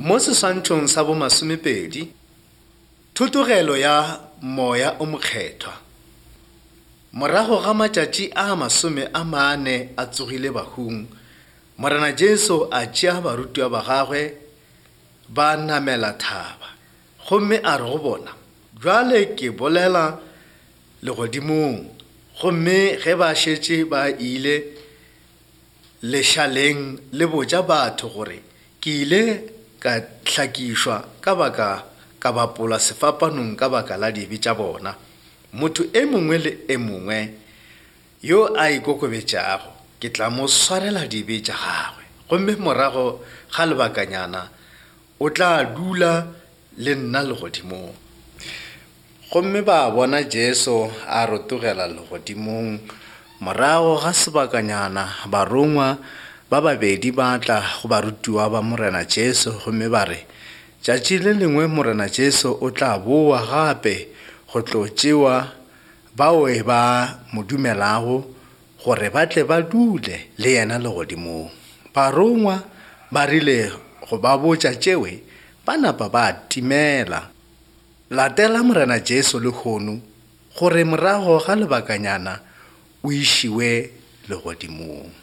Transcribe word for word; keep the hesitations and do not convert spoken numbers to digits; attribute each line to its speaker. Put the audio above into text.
Speaker 1: Mo seswantšhong sa bo masomepedi, thutogelo ya moya o mokgethwa. Morago ga matšatši a masome a mane a tsogile bahung, Morena Jesu a tšea barutiwa ba gagwe ba namela thaba, gomme a re go bona, jwale ke bolela legodimong. Gomme ge ba šetše ba ile lešaleng le botša batho gore ke ile ka hlakišwa ka baka ka bapola sefapanong ka baka la dibe tša bona. Motho e mongwe le e mongwe yo a ikokobetšago ke tla mo swarela dibe tša gagwe, gomme morago ga lebakanyana o tla dula le nna legodimong. Gomme ba bona Jesu a rotogela legodimong. Morago ga sebakanyana barongwa ba babedi ba tla go barutiwa ba Morena Jesu, gomme ba re tšatši le lengwe Morena Jesu o tla boa gape go tlo tšewa bao ba mo dumelago gore ba tle ba dule le yena legodimong. Barongwa ba rile go ba botša tšewe, ba napa ba timela latela Morena Jesu le kgono gore morago ga lebakanyana o išiwe legodimong.